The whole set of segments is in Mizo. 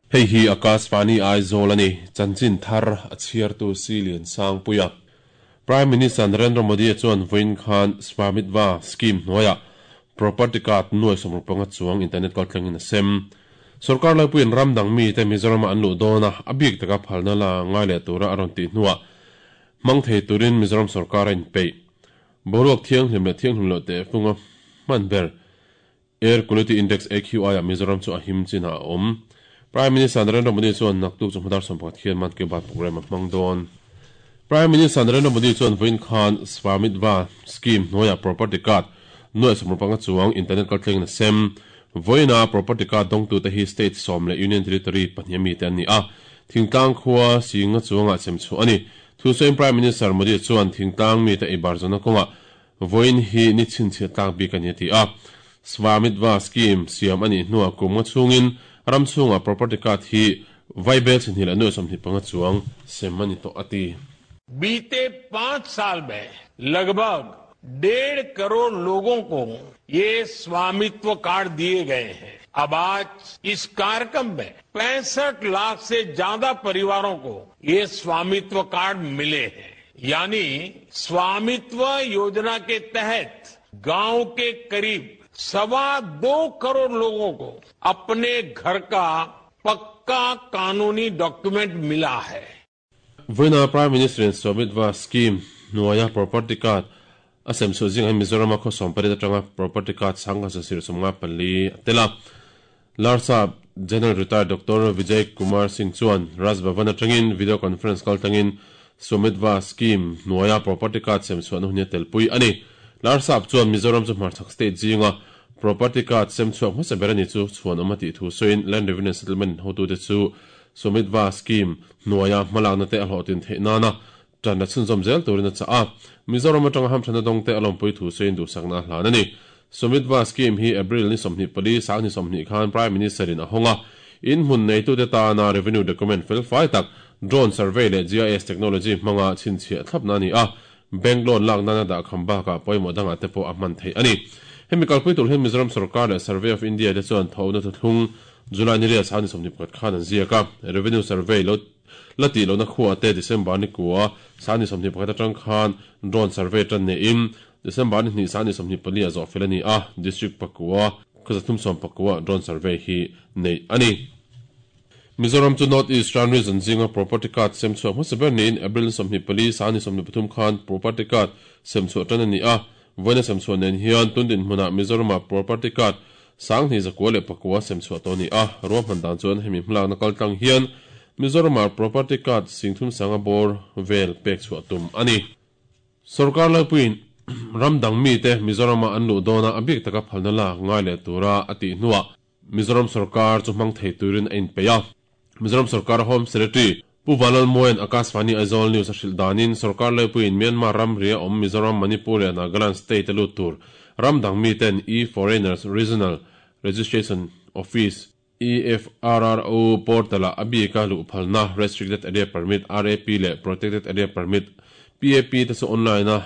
Hei hi Akashvani Aizawl a ni, chanchin thar a chhiartu Si Lian Sangpuia. Prime Minister Narendra Modi-a chuan vawiin khan Swamitva Scheme hnuaiah Property Card nuai sawmruk panga chuang internet kaltlangin a sem. Sorkar laipuiin ram dang mite Mizorama an luh dawn a, a bik taka phalna la ngai leh tura a rawn tih hnuah hmang thei turin Mizoram sorkar a inpeih. Boruak thianghlim leh thianghlim loh tehfunga hman ber Air Quality Index, AQI, ah Mizoram chu a him chinah a awm. Prime Minister Narendra Modi chuan naktuk chu hmadar 11 hian Mann Ki Baat programme a hmang dawn. Prime Minister Narendra Modi chuan vawiin khan Swamitva Scheme hnuaiah property card nuaih sawmruk panga chuang internet kaltlengin a sem. Vawiina property card dawngtute hi state sawm leh union territory pahnih ami te an ni a, thingtlang khua singa chuangah sem chhuah a ni. Thusawiin Prime Minister Modi chuan thingtlang mite eibar zawhna kawngah Vawiin hi ni chhinchhiah tlak bik a ni a ti a. Swamitva Scheme siam a nih hnuah kum nga chhungin ram chhungah property card hi vaibel chhihnih leh nuai 25 chuang sem a ni tawh a ti. बीते पांच साल में लगभग डेढ़ करोड़ लोगों को ये स्वामित्व कार्ड दिए गए हैं। अब आज इस कार्यक्रम में 65 लाख से ज्यादा परिवारों को ये स्वामित्व कार्ड मिले हैं। यानी स्वामित्व योजना के तहत गांव के करीब 2.25 करोड़ लोगों को अपने घर का पक्का कानूनी डॉक्यूमेंट मिला है। Vawiina Prime Minister in Swamitva Scheme hnuaia property card a sem chhuah zingah hian Mizorama khaw 18 atanga property card sangha zasir 54 a tel a. Larsa General Retired Doctor Vijay Kumar Singh chuan Raj Bhavan atangin video conference kal tlangin Swamitva Scheme hnuaia property card sem chhuahna hun hi a telpui a ni. Larsap chuan Mizoram chu hmarchhak state zinga property card sem chhuak hmasa ber a ni chu chhuan awm a tih thu sawiin Land Revenue and Settlement hotute chu Swamitva Scheme hnuaia hmalakna te a hlawhtlin theih nana tan la chhunzawm zel turin a chah a. Mizoram atanga hamthana dawngte a lawmpui thu sawiin duhsakna a hlan a ni. Swamitva Scheme hi April ni 24, sang ni 20 khan Prime Minister in a hawng a. In hmun neitute tana revenue document fel fai tak, drone survey leh GIS technology hmanga chhinchhiah thlapna a ni a. Bank loan lak nana dah kham bakah pawimawh dangah te pawh a hman theih a ni. Hemi kalpui tur hian Mizoram sorkar leh Survey of India te chuan thawhna thuthlung July ni riat sang ni 21 khan an ziak a. Revenue survey lo La tih lohna khuaah te December ni kua sang ni 21 atang khan drone survey tan neiin December ni hnih sang ni 24 ah zawh fel a ni a, District pakua khaw 310 ah drone survey hi neih a ni. Mizoram chu North Eastern Region zinga property card sem chhuak hmasa ber niin April ni 24 sang ni 23 khan property card sem chhuah tan a ni a, vawiina sem chhuah nen hian tun dinhmunah Mizoramah property card 2109 sem chhuah tawh a ni a, ruahman dan chuan hemi hmalakna kaltlang hian Mizoramah property card 35 a bawr vel pek chhuah tum a ni. Sorkar Lalpuiin ram dang mite Mizorama an luh dawna a bik taka phalna lak ngai leh tura a tih hnuah Mizoram sorkar chu hmang thei turin a inpeih a. Mizoram sorkar Home Secretary Pu Vanlalmuain Akashvani Aizawl News a hrilh danin sorkar Lalpuiin Myanmar ramri a awm Mizoram, Manipur leh Nagaland state a lut tur ram dang miten E-Foreigners Regional Registration Office, EFRRO, portal-ah a bika luh phalna Restricted Area Permit, RAP, leh Protected Area Permit, PAP, te chu online-a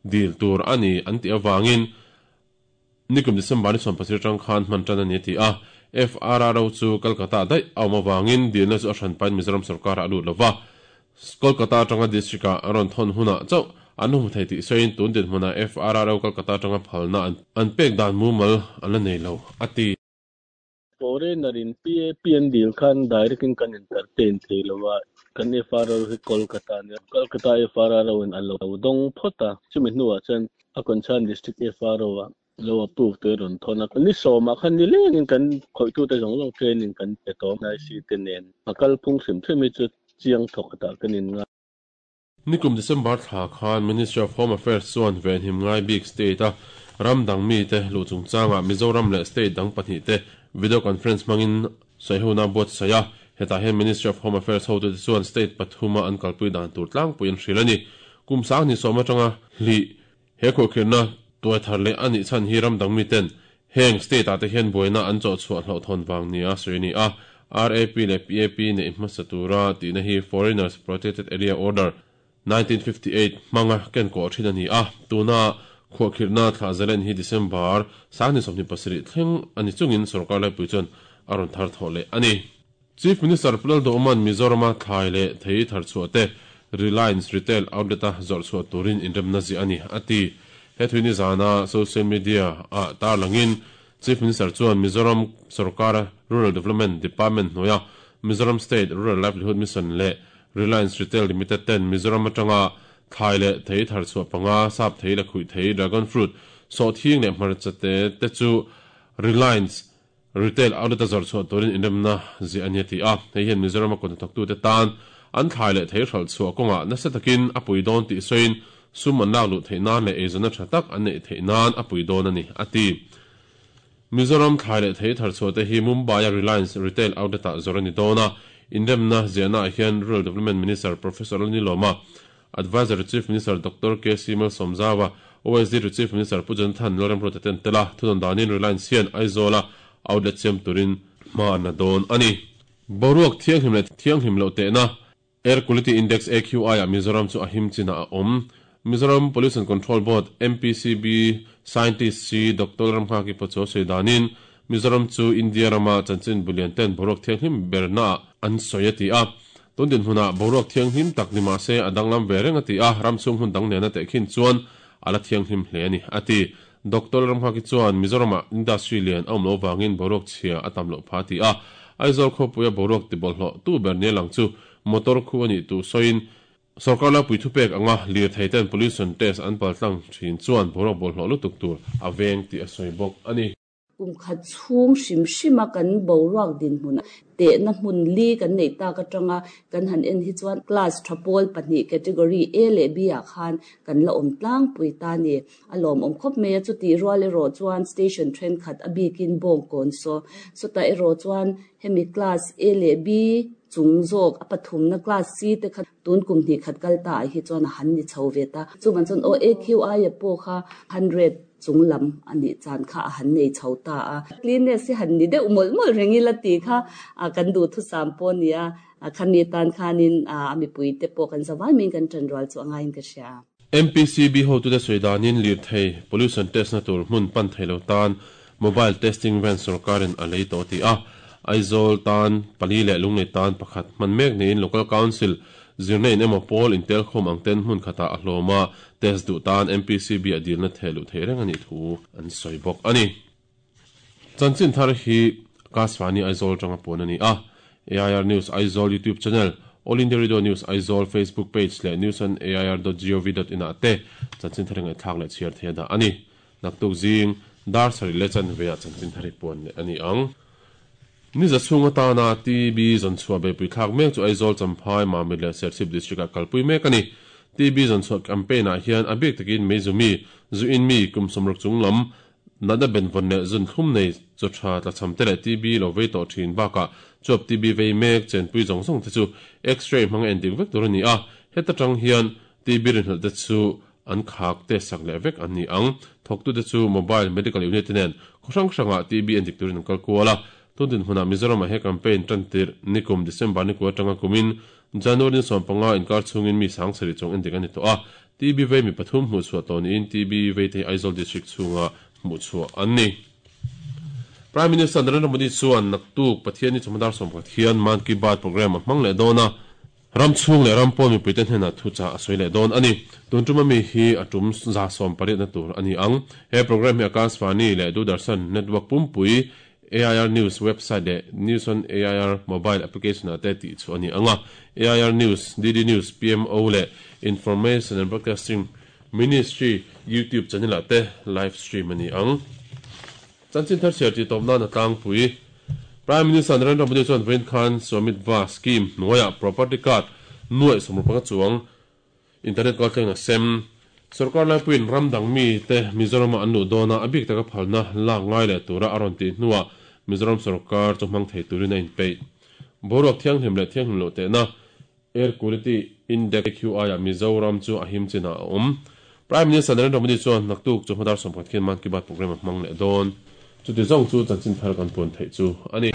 dil tur a ni an tih avangin Nikum December ni 17 atang khan hman tan a ni a ti a, FRRO chu Kolkata daih a awm avangin dilna chu a hran pahin Mizoram sorkarah a lut lo va, Kolkata atanga district-ah an rawn thawn hunah chauh an hmu thei tih sawiin tun dinhmunah FRRO Kolkata atanga phalna an pek dan mumal an la nei lo a ti. Foreigner in PAP an dil khan direct in kan entertain thei lo a, kan FRRO hi Kolkata a nia, Kolkata FRRO in a lo dawng phawt a, chumi hnuah chuan a concern district FRO ah lo approve te rawn thawn a, ni sawmah khan ni lengin kan khawihtute zawng zawng training kan pe tawh a, NIC te nen a kalphung hrim hrim hi chu chiang thawk tah kan in ngai. Nikum December thla khan Ministry of Home Affairs chuan venhim ngai bik state a ram dang mite luh chungchangah Mizoram leh state dang pahnih te video conference hmangin sawihona a buatsaih a. Hetah hian Ministry of Home Affairs hotute chuan state pathuma an kalpui dan tur tlangpui an hrilh a ni. Kum 2010 atanga hlih he khuahkhirhna tuai thar leh a nih chhan hi ram dang miten heng state ah te hian buaina an chawh chhuah hlauhthawn vang nia sawi a ni a. RAP leh PAP neih hmasa tura tihna hi Foreigners Protected Area Order, 1958 hmanga ken kawh thin a ni a. Tuna khuahkhirhna thlah zalen hi December 27 thleng a ni chungin sorkar laipui chuan a rawn thar thawh leh a ni. Chief Minister Pu Lalduhawma'n Mizorama thlai leh thei tharchhuah te Reliance Retail Outlet-a zawrh chhuah turin inremna ziah a ni, a ti. He thui nizana social media-ah tarlangin Chief Minister chuan Mizoram sorkara Rural Development Department hnuaia Mizoram State Rural Livelihood Mission leh Reliance Retail Limited ten Mizoram atanga thlai leh thei tharchhuah panga, sap thei leh khuih thei, dragon fruit, sawhthing leh hmarcha te te chu Reliance Retail outlet a zawrh chhuah turin inremna ziah a ni a ti a. Hei hian Mizoram a kut hnathawktute tan an thlai leh thei hralh chhuah kawngah nasa takin a pui dawn tih sawiin sum an lak luh theih nan leh eizawnna tha tak an neih theih nan a pui dawn a ni, a ti. Mizoram thlai leh thei thar chhuah te hi Mumbai-a Reliance Retail outlet-ah zawrh a ni dawn a. Inremna ziahnaah hian Rural Development Minister Professor Lalnilawma, Adviser to Chief Minister Doctor KC Malsawmzaua, OSD to Chief Minister Pu Jonathan Lalremruata te an tel a, thunawn danin Reliance hian Aizawla outlet siam turin hma an la dawn a ni. Boruak thianghlim leh thianghlim loh tehna, Air Quality Index, AQI, ah Mizoram chu a him chinah a awm. Mizoram Pollution Control Board, MPCB, Scientist si Doctor Lalramnghaki Pachuau sawi danin Mizoram chu India rama chanchin bulian ten boruak thianghlim bernaah an sawi a ti a. Tun dinhmunah boruak thianghlim tak ni mah se a danglam ve reng a ti a, ram chhung hmun dang nena tehkhin chuan a la thianghlim hle a ni, a ti. Doctor Ramnghaki chuan Mizoramah industry lian a awm loh vangin boruak chhia a tam loh pha a ti a. Aizawl khawpuia boruak tibawlhhlawh tu ber nia lang chu motor khu a nih tuh sawiin, Sorkar laipui thupek anga lirthei ten pollution test an paltlang thin chuan boruak bawlhhlawh lutuk tur a veng tih a sawi bawk a ni. Kum khat chhung hrim hrima kan boruak dinhmun tehna hmun li kan neih tak atanga kan han en hi chuan class tha pawl pahnih category A leh B ah khan kan la awm tlangpui ta a ni. A lawmawm khawp mai a, chutih rual erawh chuan station thenkhat a bikin Bawngkawn saw sawtah erawh chuan hemi class A leh B chung zawk a pathumna class C te kha tun kum hnih khat kal ta ah hi chuan a han ni chho ve ta. Chuvang chuan aw AQI a pawh kha 100 chung lam a nih chan kha a han nei chho ta a. Cleanness hi han ni deuh mawlh mawlh reng ila tih kha kan duhthusam pawh a ni a, khami atan khanin a mipui te pawh kan zavai maiin kan ṭanrual chu a ngaiin ka hria. MPCB hotute sawi danin lirthei pollution test na tur hmun pan thei lo tan mobile testing van sorkarin a lei tawh a ti a. Aizawl tan pali leh Lunglei tan pakhat hman mek niin Local Council zirna in emaw pawl intelkhawm ang ten hmun khatah a hlawm a, test duh tan MPCB a dilna theh luh theih reng a nih thu an sawi bawk a ni. Chanchin thar hi Akashvani Aizawl atanga puan a ni a. AIR News Aizawl YouTube channel, All India Radio News Aizawl Facebook page leh news on air dot gov dot in ah te chanchin thar hi ngaihthlak leh chhiar thei a dah a ni. Naktuk zing dar sarih leh chanve ah chanchin thar hi puan leh a ni ang. Ni za chhung atana TB zawnchhuah beihpui thlak mek chu Aizawl, Champhai, Mamit leh Serchhip District ah kalpui mek a ni. TB zawnchhuah campaign ah hian a bik takin Meizumi, Zuin mi, kum sawmruk chung lam, Natna benvawn leh zun thlum nei chaw tha tlachham te leh TB lo vei tawh thin bakah chuap TB vei mek chenpui zawng zawng te chu X-ray hmanga en dik vek tur a ni a, heta tang hian TB rinhlelh te chu an khak te sak leh vek an ni ang. Thawktute chu Mobile Medical Unit te nen khaw hrang hrangah TB en dik turin an kal kual a, tun dinhmunah Mizoramah he campaign tan tirh nikum December ni kua atanga kumin January ni 15 inkar chhungin mi 7000 chuang en dik a ni tawh a, TB vei mi pathum hmuhchhuah tawh niin TB veite hi Aizawl District chhunga hmuhchhuah an ni. Prime Minister Narendra Modi chuan naktuk Pathianni chawhma dar 11 hian Mann Ki Baat programme a hmang leh dawn a, ram chhung leh ram pawn mipuite hnenah thuchah a sawi leh dawn a ni. Tun tum ami hi a tum 180na tur a ni ang. He programme hi Akashvani leh Doordarshan network pumpui AIR News website leh News on AIR mobile application ah te tih chhuah a ni ang a. AIR News, DD News, PMO leh Information and Broadcasting Ministry YouTube channel ah te live stream a ni ang. Chanchin thar chhiar tih tawp nan a tlangpui. Prime Minister Narendra Modi chuan vawiin khan Swamitva Scheme hnuaiah property card nuaih 15 chuang Internet kaltleng a sem. Sorkar laipuiin ram dang mite Mizorama an luh dawna a bik taka phalna lak ngai leh tura a rawn tih hnuah Mizoram sorkar chu hmang thei turin a inpeih. Boruak thianghlim leh thianghlim loh tehna, Air Quality Index, AQI, ah Mizoram chu a him chinah a awm. Prime Minister Narendra Modi chuan naktuk chu hmadar 11 khian Mann Ki Baat programme a hmang leh dawn. Chuti zawng chu chanchin thar kan puan theih chu a ni.